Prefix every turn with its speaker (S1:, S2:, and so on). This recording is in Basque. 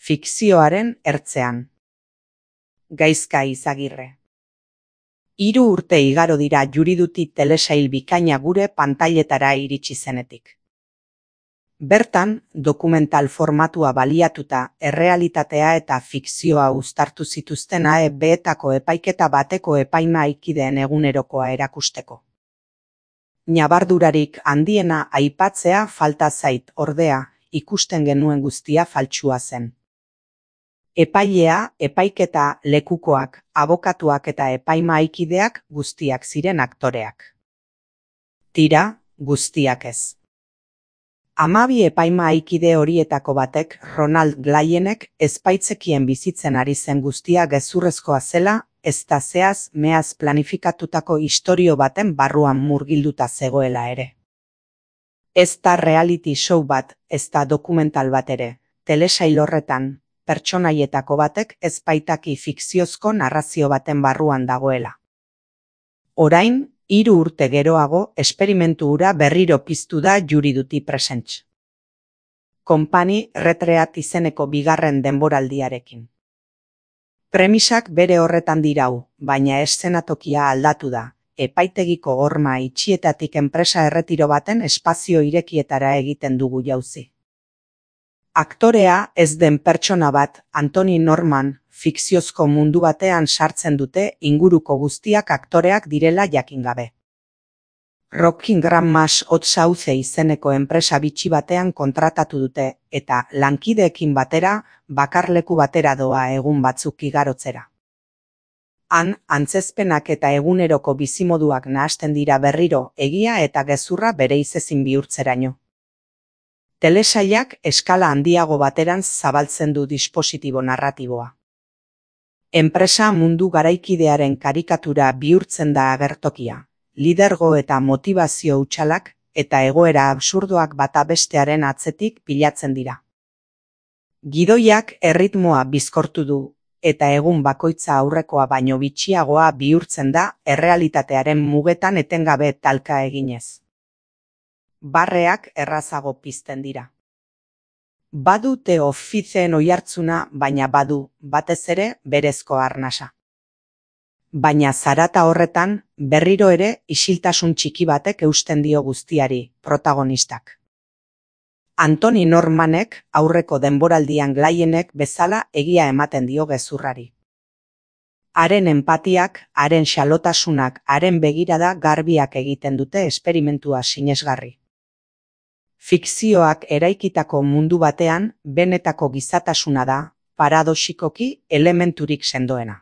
S1: Fikzioaren ertzean. Gaizka Izagirre. 3 urte igaro dira Juriduti telesail bikaina gure pantailetara iritsi zenetik. Bertan, dokumental formatua baliatuta errealitatea eta fikzioa uztartu zituzten AEB-etako epaiketa bateko epaimahaikideen egunerokoa erakusteko. Ñabardurarik handiena aipatzea falta zait, ordea, ikusten genuen guztia faltsua zen. Epailea, epaiketa, lekukoak, abokatuak eta epaimahaikideak guztiak ziren aktoreak. Tira, guztiak ez. 12 epaimahaikide horietako batek, Ronald Glayenek, ezbaitzekien bizitzen ari zen guztia gezurrezkoa zela, ezta zehaz meaz planifikatutako istorio baten barruan murgilduta zegoela ere. Ez da reality show bat, ez da dokumental bat ere, telesail horretan, pertsonaietako batek ez baitaki fikziozko narrazio baten barruan dagoela. Orain, 3 urte geroago, esperimentu hura berriro piztu da Juriduti Presents. Company Retreat izeneko bigarren denboraldiarekin. Premisak bere horretan dirau, baina eszenatokia aldatu da, epaitegiko horma itxietatik enpresa erretiro baten espazio irekietara egiten dugu jauzi. Aktorea ez den pertsona bat, Anthony Norman, fikziozko mundu batean sartzen dute inguruko guztiak aktoreak direla jakin gabe. Rocking Grandma's Hot Sauce izeneko enpresa bitxi batean kontratatu dute, eta lankideekin batera, bakarleku batera doa egun batzuk igarotzera. Han, antzezpenak eta eguneroko bizimoduak nahasten dira berriro, egia eta gezurra bereizezin bihurtzeraino. Telesailak eskala handiago baterantz zabaltzen du dispositibo narratiboa. Enpresa mundu garaikidearen karikatura bihurtzen da agertokia, lidergo eta motivazio hutsalak eta egoera absurdoak bata bestearen atzetik pilatzen dira. Gidoiak erritmoa bizkortu du, eta egun bakoitza aurrekoa baino bitxiagoa bihurtzen da errealitatearen mugetan etengabe talka eginez. Barreak errazago pizten dira. Badu The Officeen oihartzuna, baina badu, batez ere, berezko arnasa. Baina zarata horretan, berriro ere, isiltasun txiki batek eusten dio guztiari, protagonistak. Anthony Normanek, aurreko denboraldian Glayenek bezala egia ematen dio gezurrari. Haren enpatiak, haren xalotasunak, haren begirada garbiak egiten dute esperimentua sinesgarri. Fikzioak eraikitako mundu batean, benetako gizatasuna da, paradoxikoki elementurik sendoena.